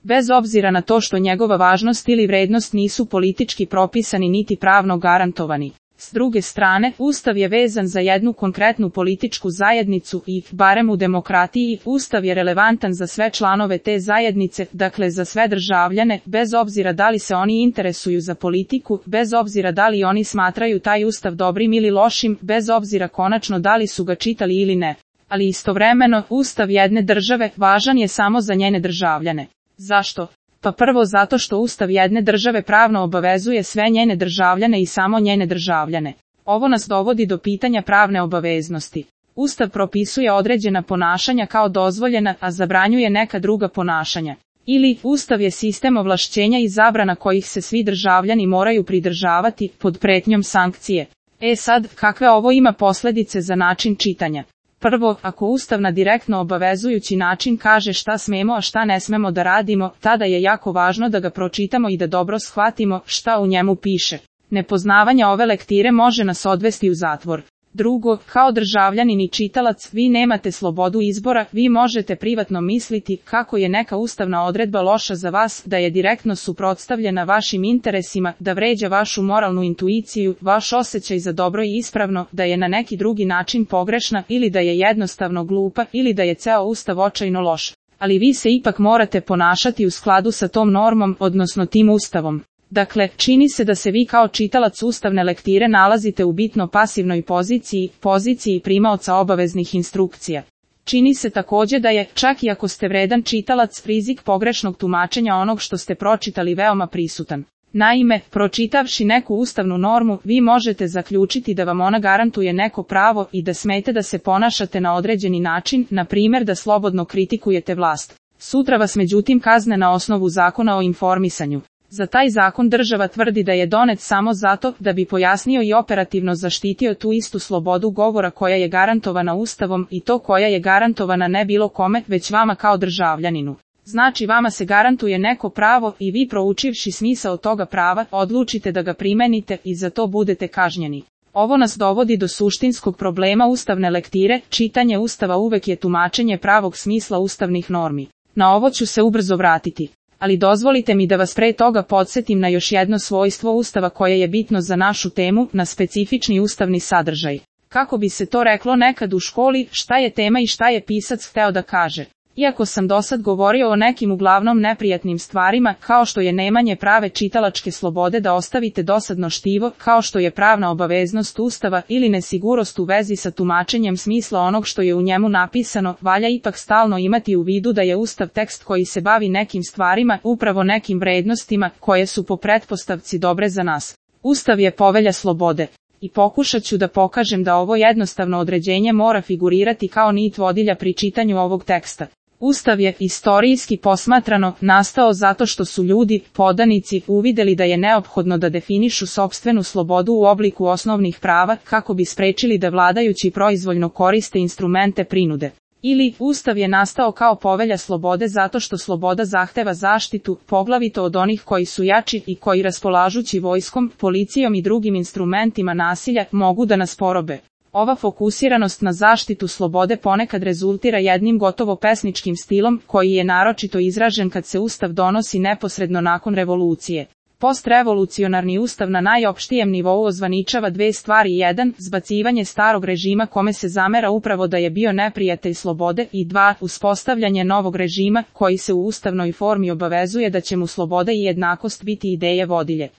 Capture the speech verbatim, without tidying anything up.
bez obzira na to što njegova važnost ili vrednost nisu politički propisani niti pravno garantovani. S druge strane, Ustav je vezan za jednu konkretnu političku zajednicu i, barem u demokratiji, Ustav je relevantan za sve članove te zajednice, dakle za sve državljane, bez obzira da li se oni interesuju za politiku, bez obzira da li oni smatraju taj Ustav dobrim ili lošim, bez obzira konačno da li su ga čitali ili ne. Ali istovremeno, Ustav jedne države važan je samo za njene državljane. Zašto? Pa prvo zato što Ustav jedne države pravno obavezuje sve njene državljane i samo njene državljane. Ovo nas dovodi do pitanja pravne obaveznosti. Ustav propisuje određena ponašanja kao dozvoljena, a zabranjuje neka druga ponašanja. Ili, Ustav je sistem ovlašćenja i zabrana kojih se svi državljani moraju pridržavati, pod pretnjom sankcije. E sad, kakve ovo ima posljedice za način čitanja? Prvo, ako Ustav na direktno obavezujući način kaže šta smemo a šta ne smemo da radimo, tada je jako važno da ga pročitamo i da dobro shvatimo šta u njemu piše. Nepoznavanje ove lektire može nas odvesti u zatvor. Drugo, kao državljanin i čitalac, vi nemate slobodu izbora, vi možete privatno misliti kako je neka ustavna odredba loša za vas, da je direktno suprotstavljena vašim interesima, da vređa vašu moralnu intuiciju, vaš osjećaj za dobro i ispravno, da je na neki drugi način pogrešna ili da je jednostavno glupa ili da je ceo Ustav očajno loš. Ali vi se ipak morate ponašati u skladu sa tom normom, odnosno tim Ustavom. Dakle, čini se da se vi kao čitalac ustavne lektire nalazite u bitno pasivnoj poziciji, poziciji primaoca obaveznih instrukcija. Čini se također da je, čak i ako ste vredan čitalac, rizik pogrešnog tumačenja onog što ste pročitali veoma prisutan. Naime, pročitavši neku ustavnu normu, vi možete zaključiti da vam ona garantuje neko pravo i da smete da se ponašate na određeni način, na primjer da slobodno kritikujete vlast. Sutra vas međutim kazne na osnovu zakona o informisanju. Za taj zakon država tvrdi da je donet samo zato da bi pojasnio i operativno zaštitio tu istu slobodu govora koja je garantovana Ustavom i to koja je garantovana ne bilo kome, već vama kao državljaninu. Znači vama se garantuje neko pravo i vi proučivši smisao toga prava, odlučite da ga primenite i za to budete kažnjeni. Ovo nas dovodi do suštinskog problema ustavne lektire, čitanje Ustava uvek je tumačenje pravog smisla ustavnih normi. Na ovo ću se ubrzo vratiti. Ali dozvolite mi da vas pre toga podsjetim na još jedno svojstvo Ustava koje je bitno za našu temu, na specifični ustavni sadržaj. Kako bi se to reklo nekad u školi, šta je tema i šta je pisac hteo da kaže. Iako sam dosad govorio o nekim uglavnom neprijatnim stvarima, kao što je nemanje prave čitalačke slobode da ostavite dosadno štivo, kao što je pravna obaveznost Ustava ili nesigurnost u vezi sa tumačenjem smisla onog što je u njemu napisano, valja ipak stalno imati u vidu da je Ustav tekst koji se bavi nekim stvarima, upravo nekim vrednostima, koje su po pretpostavci dobre za nas. Ustav je povelja slobode. I pokušat ću da pokažem da ovo jednostavno određenje mora figurirati kao nit vodilja pri čitanju ovog teksta. Ustav je, istorijski posmatrano, nastao zato što su ljudi, podanici, uvideli da je neophodno da definišu sopstvenu slobodu u obliku osnovnih prava, kako bi sprečili da vladajući proizvoljno koriste instrumente prinude. Ili, Ustav je nastao kao povelja slobode zato što sloboda zahteva zaštitu, poglavito od onih koji su jači i koji raspolažući vojskom, policijom i drugim instrumentima nasilja, mogu da nas porobe. Ova fokusiranost na zaštitu slobode ponekad rezultira jednim gotovo pesničkim stilom, koji je naročito izražen kad se Ustav donosi neposredno nakon revolucije. Postrevolucionarni Ustav na najopštijem nivou ozvaničava dve stvari: jedan, zbacivanje starog režima kome se zamera upravo da je bio neprijatelj slobode, i dva, uspostavljanje novog režima, koji se u ustavnoj formi obavezuje da će mu sloboda i jednakost biti ideje vodilje.